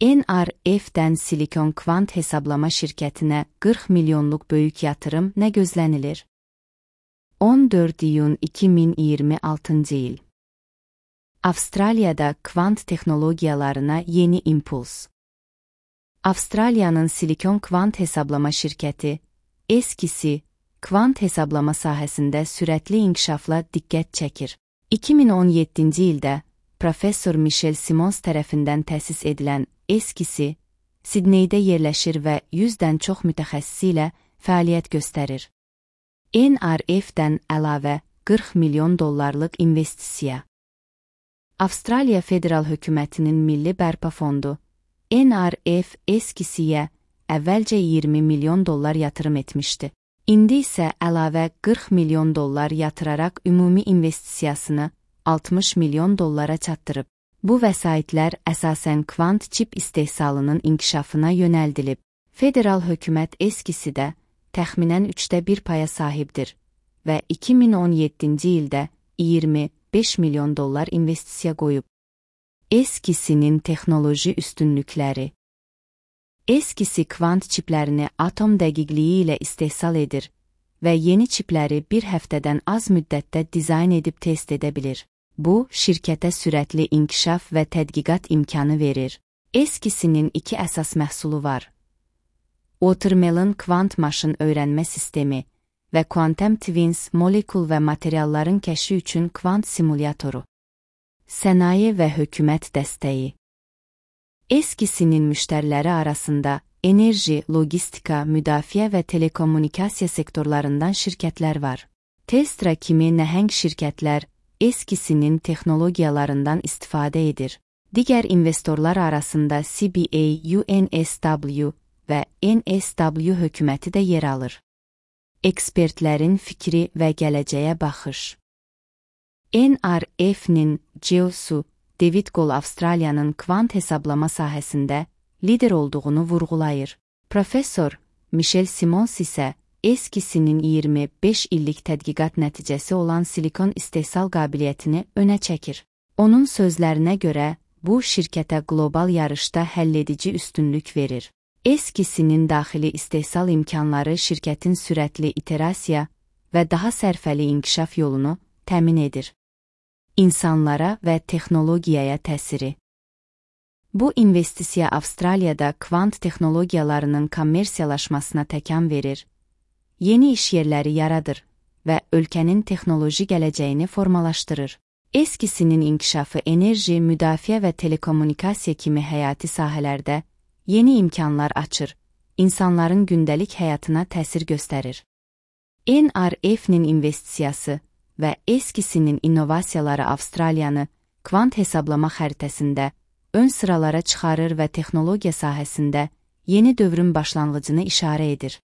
NRF-dən Silikon Kvant hesablama şirkətinə 40 milyonluq böyük yatırım nə gözlənilir? 14 iyun 2026 il. Avstraliyada kvant texnologiyalarına yeni impuls. Avstraliyanın Silikon Kvant hesablama şirkəti, eskisi, kvant hesablama sahəsində sürətli inkişafla diqqət çəkir. 2017-ci ildə Professor Michel Simons tərəfindən təsis edilən eskisi, Sidneydə yerləşir və 100-dən çox mütəxəssisi ilə fəaliyyət göstərir. NRF-dən əlavə 40 milyon dollarlıq investisiya. Avstraliya Federal Hökumətinin Milli Bərpa Fondu, NRF eskisiyə əvvəlcə 20 milyon dollar yatırım etmişdi. İndi isə əlavə 40 milyon dollar yatıraraq ümumi investisiyasını 60 milyon dollara çatdırıb. Bu vəsaitlər əsasən kvant çip istehsalının inkişafına yönəldilib. Federal hökumət eskisidə təxminən 1/3 paya sahibdir və 2017-ci ildə 25 milyon dollar investisiya qoyub. Eskisinin texnoloji üstünlükləri. Eskisi kvant çiplərini atom dəqiqliyi ilə istehsal edir və yeni çipləri bir həftədən az müddətdə dizayn edib test edə bilir. Bu, şirkətə sürətli inkişaf və tədqiqat imkanı verir. Eskisinin 2 əsas məhsulu var. Watermelon kvant maşın öyrənmə sistemi və Quantum Twins molekul və materialların kəşfi üçün kvant simulyatoru. Sənaye və hökumət dəstəyi. Eskisinin müştəriləri arasında enerji, logistika, müdafiə və telekommunikasiya sektorlarından şirkətlər var. Telstra kimi nəhəng şirkətlər eskisinin texnologiyalarından istifadə edir. Digər investorlar arasında CBA, UNSW və NSW hökuməti də yer alır. Ekspertlərin fikri və gələcəyə baxış. NRF-nin CEO-su David Gold Avstraliyanın kvant hesablama sahəsində lider olduğunu vurğulayır. Professor Michel Simons isə eskisinin 25 illik tədqiqat nəticəsi olan silikon istehsal qabiliyyətini önə çəkir. Onun sözlərinə görə, bu şirkətə qlobal yarışda həlledici üstünlük verir. Eskisinin daxili istehsal imkanları şirkətin sürətli iterasiya və daha sərfəli inkişaf yolunu təmin edir. İnsanlara və texnologiyaya təsiri. Bu investisiya Avstraliyada kvant texnologiyalarının kommersiyalaşmasına təkan verir, yeni iş yerləri yaradır və ölkənin texnoloji gələcəyini formalaşdırır. Eskisinin inkişafı enerji, müdafiə və telekommunikasiya kimi həyati sahələrdə yeni imkanlar açır, insanların gündəlik həyatına təsir göstərir. NRF-nin investisiyası və eskisinin innovasiyaları Avstraliyanı kvant hesablama xəritəsində ön sıralara çıxarır və texnologiya sahəsində yeni dövrün başlanğıcını işarə edir.